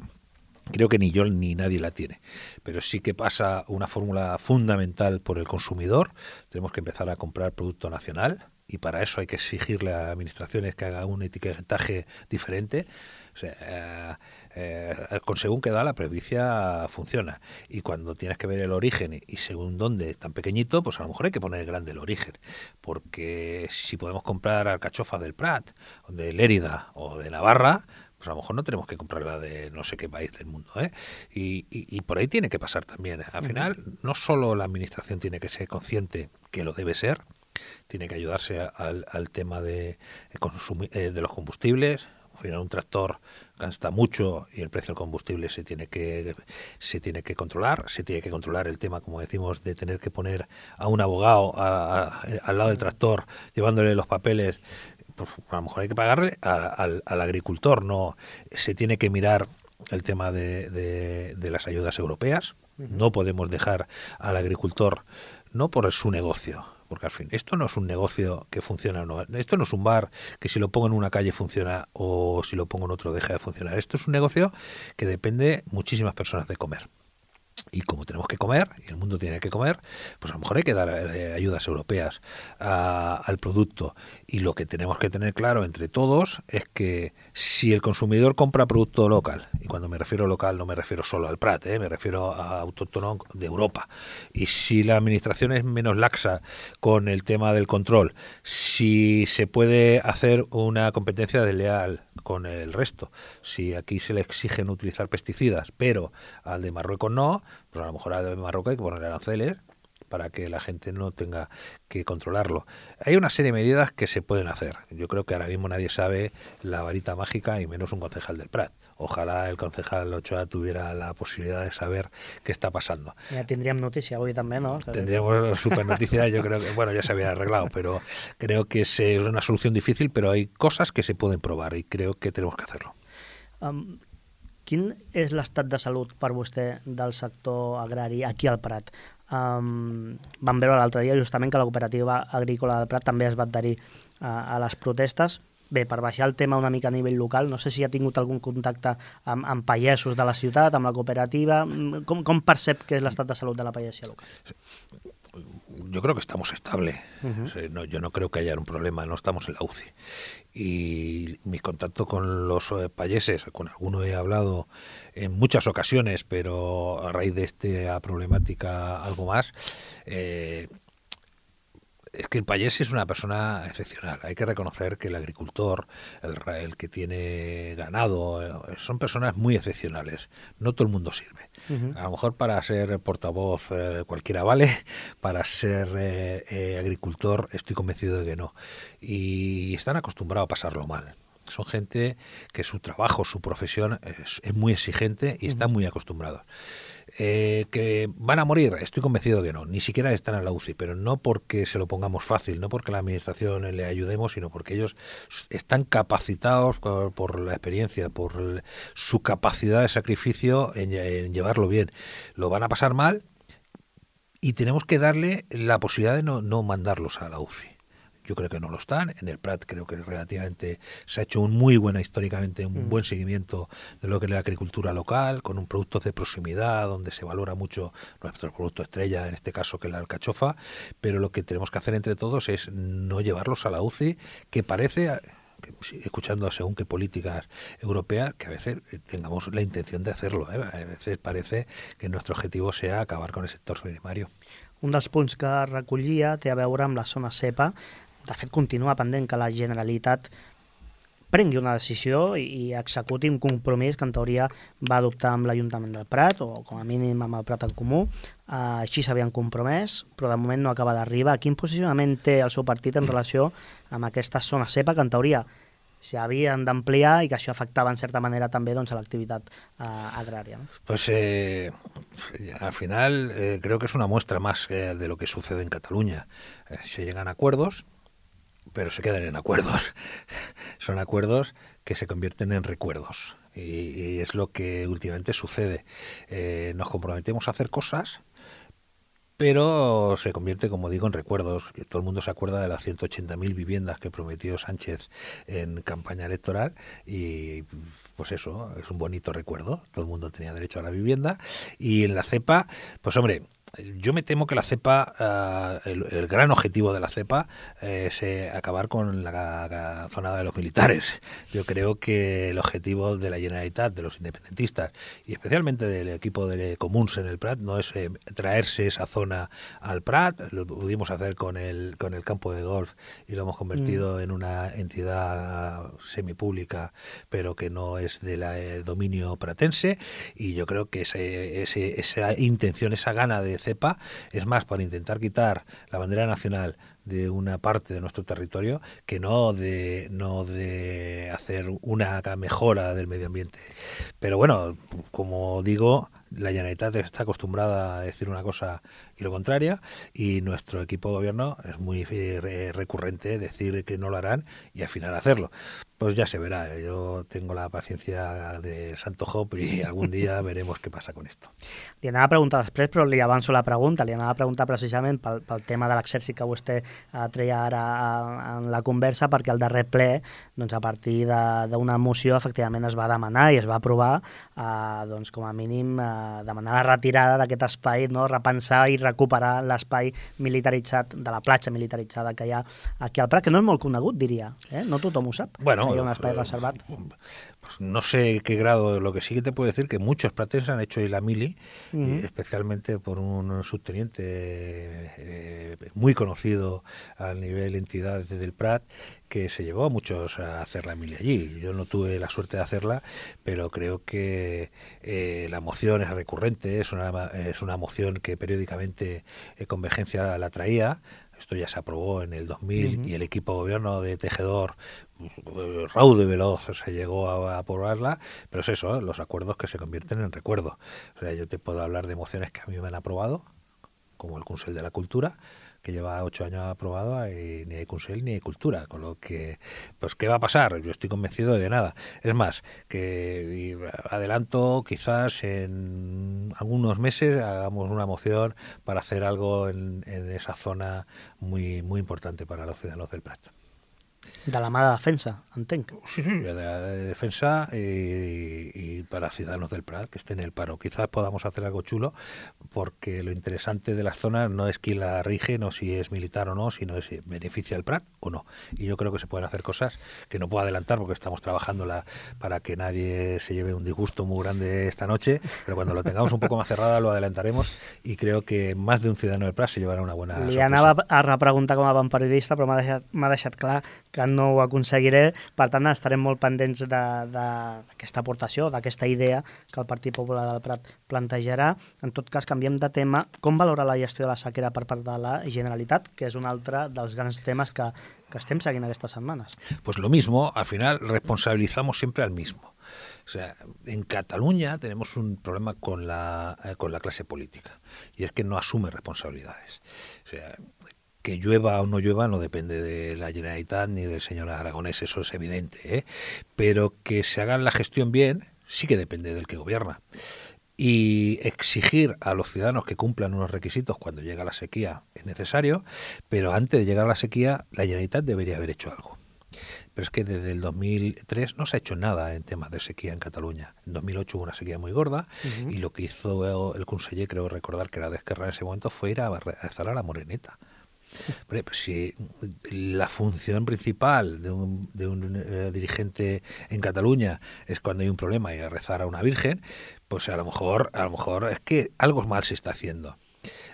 Creo que ni yo ni nadie la tiene, pero sí que pasa una fórmula fundamental por el consumidor. Tenemos que empezar a comprar producto nacional y para eso hay que exigirle a administraciones que hagan un etiquetaje diferente. O sea, eh, eh, con según qué da la presbicia funciona, y cuando tienes que ver el origen y según dónde es tan pequeñito, pues a lo mejor hay que poner grande el origen, porque si podemos comprar alcachofas del Prat, de Lérida o de Navarra, pues a lo mejor no tenemos que comprarla de no sé qué país del mundo, ¿eh? Y, y, y por ahí tiene que pasar también. Al final, no solo la administración tiene que ser consciente, que lo debe ser, tiene que ayudarse al, al tema de, consumir, eh, de los combustibles. Al final, un tractor gasta mucho y el precio del combustible se tiene que se tiene que controlar. Se tiene que controlar el tema, como decimos, de tener que poner a un abogado a, a, al lado del tractor, llevándole los papeles. Pues a lo mejor hay que pagarle a, a, al agricultor, no se tiene que mirar el tema de, de, de las ayudas europeas. No podemos dejar al agricultor, no por su negocio, porque al fin, esto no es un negocio que funciona o no, esto no es un bar que si lo pongo en una calle funciona o si lo pongo en otro deja de funcionar. Esto es un negocio que depende muchísimas personas de comer. Y como tenemos que comer, y el mundo tiene que comer, pues a lo mejor hay que dar eh, ayudas europeas a, al producto. Y lo que tenemos que tener claro entre todos es que si el consumidor compra producto local, y cuando me refiero a local no me refiero solo al Prat, eh, me refiero a autóctono de Europa, y si la administración es menos laxa con el tema del control, si se puede hacer una competencia desleal con el resto, si aquí se le exigen utilizar pesticidas, pero al de Marruecos no, pues a lo mejor al de Marruecos hay que poner aranceles para que la gente no tenga que controlarlo. Hay una serie de medidas que se pueden hacer. Yo creo que ahora mismo nadie sabe la varita mágica y menos un concejal del Prat. Ojalá el concejal Ochoa tuviera la posibilidad de saber qué está pasando. Ya tendríamos noticia hoy también, ¿no? Tendríamos super noticia, yo creo que, bueno, ya se había arreglado, pero creo que es una solución difícil, pero hay cosas que se pueden probar y creo que tenemos que hacerlo. Um, quin és l'estat de salut per vostè del sector agrari aquí al Prat? Um, vam veure l'altre dia justament que la cooperativa agrícola del Prat també es va adherir a, a les protestes. Bé, per baixar el tema una mica a nivell local, no sé si ha tingut algun contacte amb, amb pagesos de la ciutat, amb la cooperativa. Com, com percep que és l'estat de salut de la pagesia local? Yo creo que estamos estable. Uh-huh. O sea, no, yo no creo que haya un problema, no estamos en la U C I. Y mi contacto con los eh, payeses, con alguno he hablado en muchas ocasiones, pero a raíz de esta problemática algo más, eh, es que el payés es una persona excepcional. Hay que reconocer que el agricultor, el, el que tiene ganado, eh, son personas muy excepcionales. No todo el mundo sirve. Uh-huh. A lo mejor para ser portavoz eh, cualquiera vale, para ser eh, eh, agricultor estoy convencido de que no. Y están acostumbrados a pasarlo mal. Son gente que su trabajo, su profesión es, es muy exigente y están muy acostumbrados. Eh, ¿Que van a morir? Estoy convencido de que no, ni siquiera están en la U C I, pero no porque se lo pongamos fácil, no porque la administración le ayudemos, sino porque ellos están capacitados por, por la experiencia, por el, su capacidad de sacrificio en, en llevarlo bien. Lo van a pasar mal y tenemos que darle la posibilidad de no, no mandarlos a la U C I. Yo creo que no lo están. En el Prat creo que relativamente se ha hecho un muy buena, históricamente, un mm. buen seguimiento de lo que es la agricultura local, con un producto de proximidad, donde se valora mucho nuestro producto estrella, en este caso que es la alcachofa, pero lo que tenemos que hacer entre todos es no llevarlos a la U C I, que parece, escuchando según qué políticas europeas, que a veces tengamos la intención de hacerlo. ¿eh? A veces parece que nuestro objetivo sea acabar con el sector primario. Un dels punts que recollia té a veure amb la zona cepa. De fet, continua pendent que la Generalitat prengui una decisió i, i executi un compromís que en teoria va adoptar amb l'Ajuntament del Prat, o com a mínim amb el Prat en Comú. Uh, així s'havien compromès, però de moment no acaba d'arribar. Quin posicionament té el seu partit en relació amb aquesta zona cepa que en teoria s'havien d'ampliar i que això afectava en certa manera també doncs, a l'activitat uh, agrària? ¿no? Pues eh, al final eh, creo que es una muestra más eh, de lo que sucede en Cataluña. Eh, se llegan a acuerdos, pero se quedan en acuerdos. Son acuerdos que se convierten en recuerdos y, y es lo que últimamente sucede. Eh, nos comprometemos a hacer cosas, pero se convierte, como digo, en recuerdos. Todo el mundo se acuerda de las ciento ochenta mil viviendas que prometió Sánchez en campaña electoral y pues eso, es un bonito recuerdo. Todo el mundo tenía derecho a la vivienda. Y en la cepa, pues hombre, yo me temo que la cepa, uh, el, el gran objetivo de la cepa eh, es eh, acabar con la, la zona de los militares. Yo creo que el objetivo de la Generalitat, de los independentistas y especialmente del equipo de Comuns en el Prat no es eh, traerse esa zona al Prat. Lo pudimos hacer con el, con el campo de golf y lo hemos convertido mm. en una entidad semipública, pero que no es del eh, dominio pratense, y yo creo que ese, ese, esa intención, esa gana de cepa es más para intentar quitar la bandera nacional de una parte de nuestro territorio que no de no de hacer una mejora del medio ambiente. Pero bueno, como digo, la Generalitat está acostumbrada a decir una cosa y lo contraria, y nuestro equipo de gobierno es muy eh, recurrente decir que no lo harán y al final hacerlo. Pues ya se verá. Yo tengo la paciencia de Santo Job y algun dia veremos què passa con esto. Li anava a preguntar després, però li avanço la pregunta. Li anava a preguntar precisament pel, pel tema de l'exèrcit que vostè eh, treia ara en la conversa, perquè al darrer ple, doncs, a partir d'una moció, efectivament es va demanar i es va aprovar, eh, doncs, com a mínim, eh, demanar la retirada d'aquest espai, no? Repensar i recuperar l'espai militaritzat, de la platja militaritzada que hi ha aquí al Prat, que no és molt conegut, diria. Eh? No tothom ho sap. Bueno, no, hi ha un espai reservat. Pues no sé qué grado, lo que sí que te puedo decir que muchos pratenses han hecho la mili, uh-huh. eh, especialmente por un subteniente eh, muy conocido a nivel entidad del Prat, que se llevó a muchos a hacer la mili allí. Yo no tuve la suerte de hacerla, pero creo que eh, la moción es recurrente, es una, es una moción que periódicamente eh, Convergencia la traía. Esto ya se aprobó en el dos mil uh-huh. y el equipo de gobierno de Tejedor, raudo y veloz, se llegó a, a aprobarla, pero es eso, ¿eh? Los acuerdos que se convierten en recuerdo. O sea, yo te puedo hablar de mociones que a mí me han aprobado, como el Consell de la Cultura, que lleva ocho años aprobado y ni hay Consell ni hay Cultura, con lo que, pues, ¿qué va a pasar? Yo estoy convencido de nada. Es más, que adelanto, quizás en algunos meses hagamos una moción para hacer algo en, en esa zona muy muy importante para los ciudadanos del Prat. De la mà de defensa, entenc. Sí, sí, de, de defensa y, y para ciudadanos del Prat que estén en el paro. Quizás podamos hacer algo chulo, porque lo interesante de las zonas no es quién la rige, no si es militar o no, sino si beneficia al Prat o no. Y yo creo que se pueden hacer cosas que no puedo adelantar porque estamos trabajando la, para que nadie se lleve un disgusto muy grande esta noche, pero cuando lo tengamos un poco más cerrada lo adelantaremos y creo que más de un ciudadano del Prat se llevará una buena sorpresa. Li anava a repreguntar com a bon periodista, però m'ha deixat, m'ha deixat clar que no ho aconseguiré, per tant estarem molt pendents d'aquesta aportació, d'aquesta idea que el Partit Popular del Prat plantejarà. En tot cas, canviem de tema. Com valora la gestió de la sequera per part de la Generalitat, que és un altre dels grans temes que, que estem seguint aquestes setmanes? Pues lo mismo, al final responsabilizamos siempre al mismo. O sea, en Cataluña tenemos un problema con la, eh, con la clase política, y es que no asume responsabilidades. O sea, que llueva o no llueva no depende de la Generalitat ni del señor Aragonés, eso es evidente, ¿eh? Pero que se haga la gestión bien sí que depende del que gobierna. Y exigir a los ciudadanos que cumplan unos requisitos cuando llega la sequía es necesario, pero antes de llegar a la sequía la Generalitat debería haber hecho algo. Pero es que desde el dos mil tres no se ha hecho nada en temas de sequía en Cataluña. En dos mil ocho hubo una sequía muy gorda uh-huh. y lo que hizo el conseller, creo recordar que era de Esquerra en ese momento, fue ir a rezar a la Moreneta. Pues si la función principal de un, de un eh, dirigente en Cataluña es cuando hay un problema y a rezar a una virgen, pues a lo mejor a lo mejor es que algo mal se está haciendo.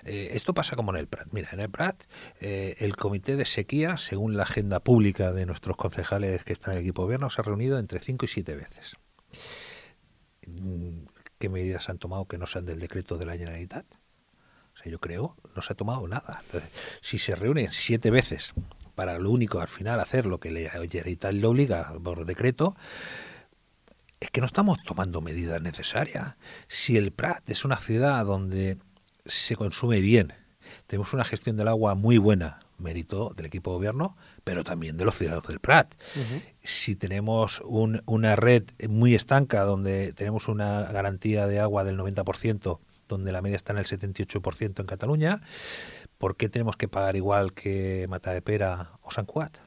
Eh, esto pasa como en el Prat. Mira, en el Prat eh, el comité de sequía, según la agenda pública de nuestros concejales que están en el equipo de gobierno, se ha reunido entre cinco y siete veces. ¿Qué medidas han tomado que no sean del decreto de la Generalitat? O sea, yo creo, no se ha tomado nada. Entonces, si se reúnen siete veces para lo único al final hacer lo que la Generalitat le obliga por decreto, es que no estamos tomando medidas necesarias. Si el Prat es una ciudad donde se consume bien, tenemos una gestión del agua muy buena, mérito del equipo de gobierno, pero también de los ciudadanos del Prat. Uh-huh. Si tenemos un, una red muy estanca donde tenemos una garantía de agua del noventa por ciento, donde la media está en el setenta y ocho por ciento en Cataluña, ¿por qué tenemos que pagar igual que Matadepera o Sant Cugat?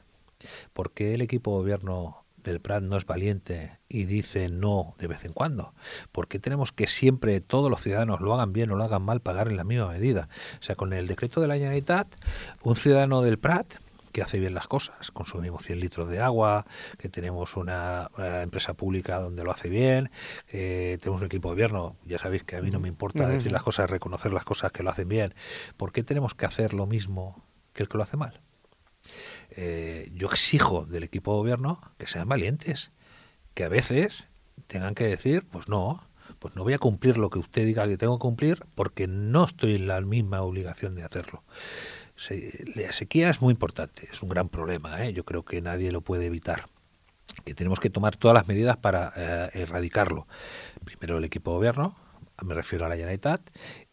¿Por qué el equipo de gobierno del Prat no es valiente y dice no de vez en cuando? ¿Por qué tenemos que siempre todos los ciudadanos, lo hagan bien o lo hagan mal, pagar en la misma medida? O sea, con el decreto de la Generalitat, un ciudadano del Prat que hace bien las cosas, consumimos cien litros de agua, que tenemos una eh, empresa pública donde lo hace bien, eh, tenemos un equipo de gobierno, ya sabéis que a mí no me importa uh-huh. decir las cosas, reconocer las cosas que lo hacen bien. ¿Por qué tenemos que hacer lo mismo que el que lo hace mal? Eh, yo exijo del equipo de gobierno que sean valientes, que a veces tengan que decir, pues no, pues no voy a cumplir lo que usted diga que tengo que cumplir porque no estoy en la misma obligación de hacerlo. La sequía es muy importante, es un gran problema, ¿eh? Yo creo que nadie lo puede evitar, que tenemos que tomar todas las medidas para eh, erradicarlo. Primero el equipo de gobierno, me refiero a la Generalitat,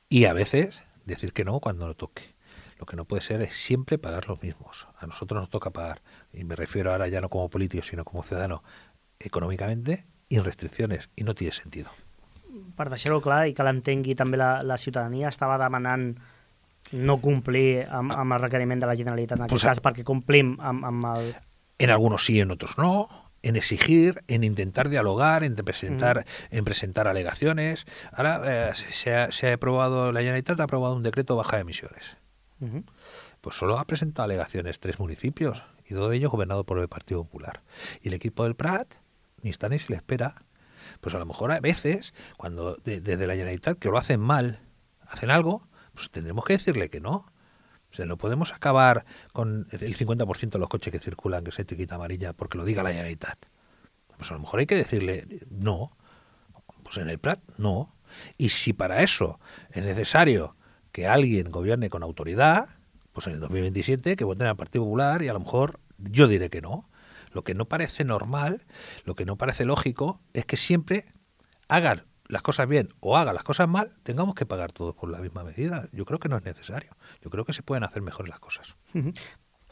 y a veces decir que no cuando lo toque. Lo que no puede ser es siempre pagar los mismos. A nosotros nos toca pagar, y me refiero ahora ya no como político, sino como ciudadano, econòmicament i en restriccions, i no tiene sentido. Per deixar-ho clar i que l'entengui també la, la ciutadania, estava demanant no complir amb, amb el requeriment de la Generalitat en aquest pues, cas, perquè complim amb, amb el... En algunos sí, en otros no, en exigir, en intentar dialogar, en presentar, uh-huh. en presentar alegaciones. Ahora eh, se, ha, se ha aprobado, la Generalitat ha aprobado un decreto de baja de emisiones. Uh-huh. Pues solo ha presentado alegaciones tres municipios y dos de ellos gobernados por el Partido Popular. Y el equipo del Prat ni está ni se le espera. Pues a lo mejor a veces, cuando de, desde la Generalitat, que lo hacen mal, hacen algo, pues tendremos que decirle que no. O sea, no podemos acabar con el cincuenta por ciento de los coches que circulan que se etiqueta amarilla porque lo diga la Generalitat. Pues a lo mejor hay que decirle no. Pues en el Prat no. Y si para eso es necesario que alguien gobierne con autoridad, pues en el dos mil veintisiete que voten al Partido Popular y a lo mejor yo diré que no. Lo que no parece normal, lo que no parece lógico, es que siempre hagan las cosas bien o hagan las cosas mal, tengamos que pagar todos por la misma medida. Yo creo que no es necesario. Yo creo que se pueden hacer mejor las cosas. Uh-huh.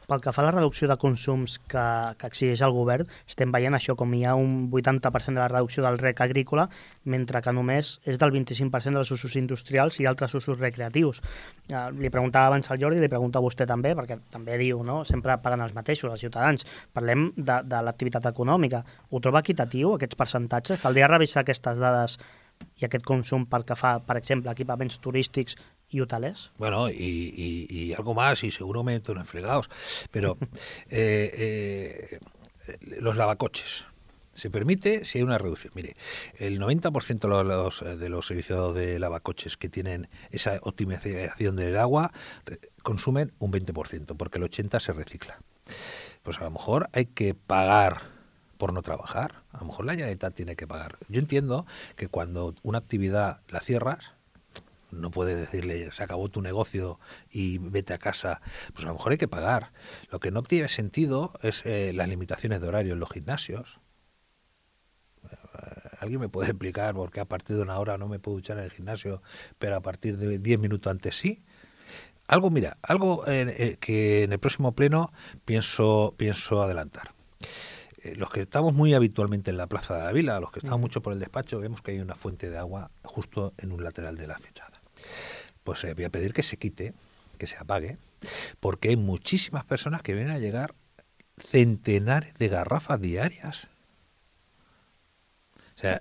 Pel que fa a la reducció de consums que, que exigeix el govern, estem veient això com hi ha un vuitanta per cent de la reducció del rec agrícola, mentre que només és del vint-i-cinc per cent dels usos industrials i altres usos recreatius. Eh, li preguntava abans al Jordi, li pregunto a vostè també, perquè també diu, no?, sempre paguen els mateixos, els ciutadans. Parlem de, de l'activitat econòmica. Ho troba equitatiu, aquests percentatges? Caldria revisar aquestes dades i aquest consum pel que fa, per exemple, equipaments turístics y hoteles. Bueno, y, y, y algo más, y seguro me meto en fregados, pero eh, eh, los lavacoches. Se permite si hay una reducción. Mire, el noventa por ciento de los, de los servicios de lavacoches que tienen esa optimización del agua consumen un veinte por ciento, porque el ochenta por ciento se recicla. Pues a lo mejor hay que pagar por no trabajar. A lo mejor la Generalitat tiene que pagar. Yo entiendo que cuando una actividad la cierras, no puedes decirle, se acabó tu negocio y vete a casa. Pues a lo mejor hay que pagar. Lo que no tiene sentido es eh, las limitaciones de horario en los gimnasios. ¿Alguien me puede explicar por qué a partir de una hora no me puedo duchar en el gimnasio, pero a partir de diez minutos antes sí? Algo, mira, algo eh, eh, que en el próximo pleno pienso, pienso adelantar. Eh, los que estamos muy habitualmente en la Plaza de la Vila, los que estamos mucho por el despacho, vemos que hay una fuente de agua justo en un lateral de la fachada. Pues eh, voy a pedir que se quite, que se apague, porque hay muchísimas personas que vienen a llegar centenares de garrafas diarias. O sea,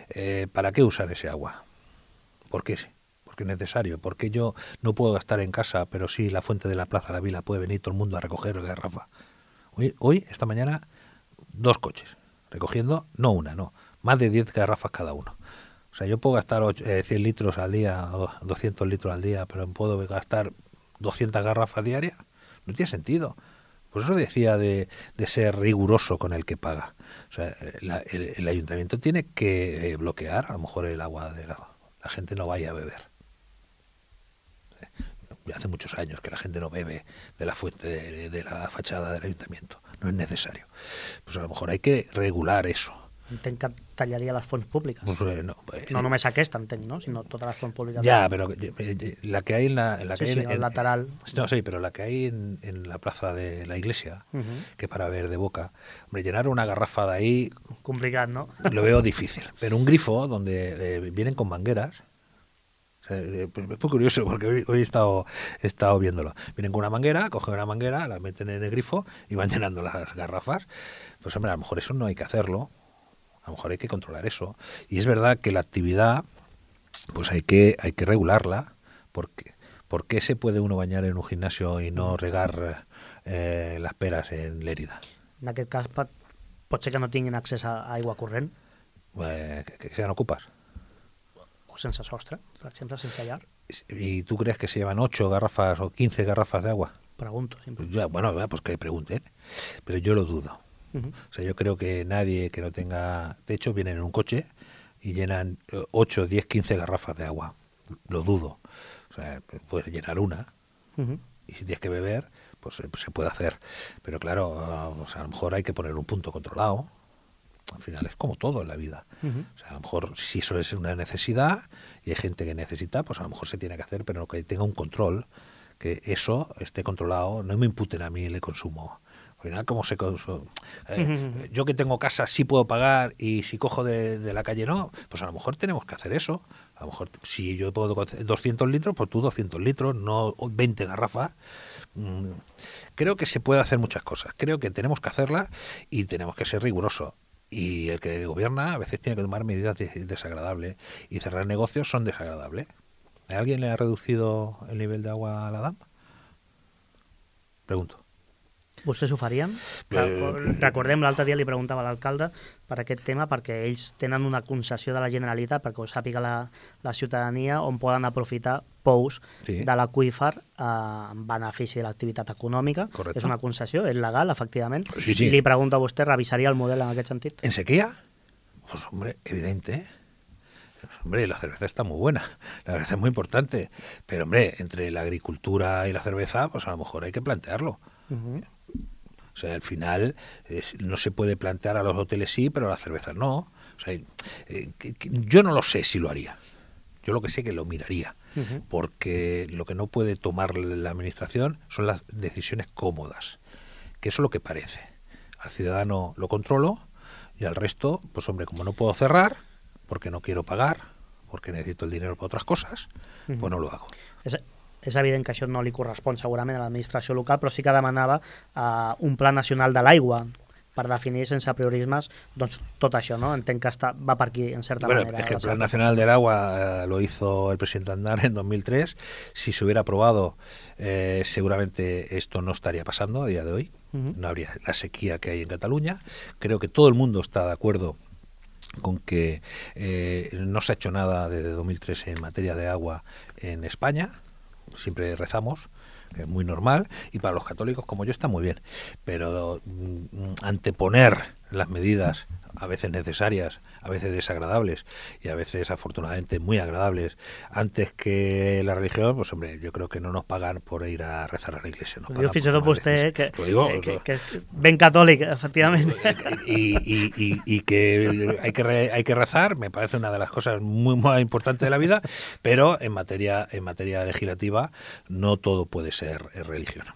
eh, ¿para qué usar ese agua? ¿Por qué? Porque es necesario. ¿Por qué yo no puedo gastar en casa, pero sí la fuente de la Plaza de la Vila puede venir todo el mundo a recoger garrafa? Hoy, hoy esta mañana, dos coches recogiendo, no una, no, más de diez garrafas cada uno. O sea, yo puedo gastar ocho, eh, cien litros al día, doscientos litros al día, pero puedo gastar doscientas garrafas diarias. No tiene sentido. Por eso decía de, de ser riguroso con el que paga. O sea, la, el, el ayuntamiento tiene que eh, bloquear a lo mejor el agua de la, la gente no vaya a beber. Hace muchos años que la gente no bebe de la fuente de, de la fachada del ayuntamiento. No es necesario. Pues a lo mejor hay que regular eso. Entenc que tallaria les fonts públiques. Pues, eh, no, eh, no només aquesta, entenc, no? Sinó totes les fonts públiques. Ya, pero eh, la que hay en la, en la sí, que sí, hay en, el lateral. No, sí, pero la que hay en, en la plaza de la iglesia, uh-huh. que para ver de boca, hombre, llenar una garrafa de ahí... Complicat, ¿no? Lo veo difícil. Pero un grifo donde eh, vienen con mangueras... O sea, es muy curioso porque hoy, hoy he, estado, he estado viéndolo. Vienen con una manguera, cogen una manguera, la meten en el grifo y van llenando las garrafas. Pues hombre, a lo mejor eso no hay que hacerlo. A lo mejor hay que controlar eso. Y es verdad que la actividad, pues hay que hay que regularla. Porque, ¿por qué se puede uno bañar en un gimnasio y no regar eh, las peras en Lérida? En aquest cas, pot, pot ser que no tinguin accés a aigua corrent. Eh, que, que sean ocupas. O sense sostre, per exemple, sense llar. ¿Y tú crees que se llevan ocho garrafas o quince garrafas de agua? Pregunto, siempre. Pues ya, bueno, pues que pregunten. Pero yo lo dudo. Uh-huh. O sea, yo creo que nadie que no tenga techo viene en un coche y llenan ocho, diez, quince garrafas de agua. Lo dudo. O sea, puedes llenar una uh-huh. y si tienes que beber, pues, pues se puede hacer. Pero claro, uh, o sea, a lo mejor hay que poner un punto controlado. Al final es como todo en la vida. Uh-huh. O sea, a lo mejor si eso es una necesidad y hay gente que necesita, pues a lo mejor se tiene que hacer, pero que tenga un control, que eso esté controlado, no me imputen a mí el consumo. Al final, como se consume, eh, uh-huh. yo que tengo casa sí puedo pagar y si cojo de, de la calle no, pues a lo mejor tenemos que hacer eso. A lo mejor si yo puedo doscientos litros, pues tú doscientos litros, no veinte garrafas. Mm, creo que se puede hacer muchas cosas. Creo que tenemos que hacerlas y tenemos que ser rigurosos. Y el que gobierna a veces tiene que tomar medidas desagradables y cerrar negocios son desagradables. ¿A alguien le ha reducido el nivel de agua a la D A M? Pregunto. Vostès ho farien? Eh, Recordem, l'altre dia li preguntava a l'alcalde per aquest tema, perquè ells tenen una concessió de la Generalitat, perquè ho sàpiga la, la ciutadania, on poden aprofitar pous Sí. de l'aqüífer eh, en benefici de l'activitat econòmica. Correcte. És una concessió, és legal, efectivament. Sí, sí. I li pregunto a vostè, revisaria el model en aquest sentit? ¿En sequía? Pues hombre, evidente, ¿eh? Hombre, la cerveza está muy buena, la cerveza es muy importante, pero hombre, entre la agricultura y la cerveza, pues a lo mejor hay que plantearlo. Uh-huh. O sea, al final es, no se puede plantear a los hoteles sí, pero a las cervezas no. O sea, eh, que, que, yo no lo sé si lo haría. Yo lo que sé que lo miraría, Uh-huh. porque lo que no puede tomar la administración son las decisiones cómodas, que eso es lo que parece. Al ciudadano lo controlo y al resto, pues hombre, como no puedo cerrar, porque no quiero pagar, porque necesito el dinero para otras cosas, Uh-huh. pues no lo hago. És, és evident que això no li correspon segurament a l'administració local, però sí que demanava uh, un pla nacional de l'aigua per definir sense priorismes doncs, tot això, no? Entenc que està, va per aquí, en certa Bueno, manera. es que el la Plan seva Nacional del Agua eh, lo hizo el presidente Aznar en dos mil tres. Si se hubiera aprobado, eh, seguramente esto no estaría pasando a día de hoy. Uh-huh. No habría la sequía que hay en Cataluña. Creo que todo el mundo está de acuerdo con que eh, no se ha hecho nada desde dos mil tres en materia de agua en España. Siempre rezamos, es muy normal, y para los católicos como yo está muy bien, pero mm, anteponer las medidas a veces necesarias, a veces desagradables y a veces afortunadamente muy agradables antes que la religión, pues hombre, yo creo que no nos pagan por ir a rezar a la iglesia. Nos Ho pagan diu fins por i tot tomar vostè, eh, que, decisiones. Lo digo, que, que, lo- que és ben catòlic, efectivament. y, y, y, y que hay que re- hay que rezar, me parece una de las cosas muy, muy importantes de la vida, pero en materia en materia legislativa no todo puede ser eh, religión.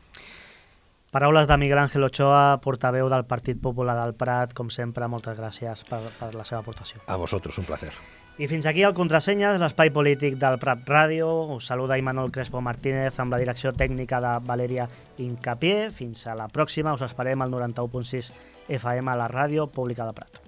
Paraules de Miguel Ángel Ochoa, portaveu del Partit Popular del Prat. Com sempre, moltes gràcies per, per la seva aportació. A vosotros, un placer. I fins aquí el Contrasenyes, l'espai polític del Prat Ràdio. Us saluda Imanol Crespo Martínez amb la direcció tècnica de Valeria Incapié. Fins a la pròxima, us esperem al noranta-u punt sis F M a la ràdio pública del Prat.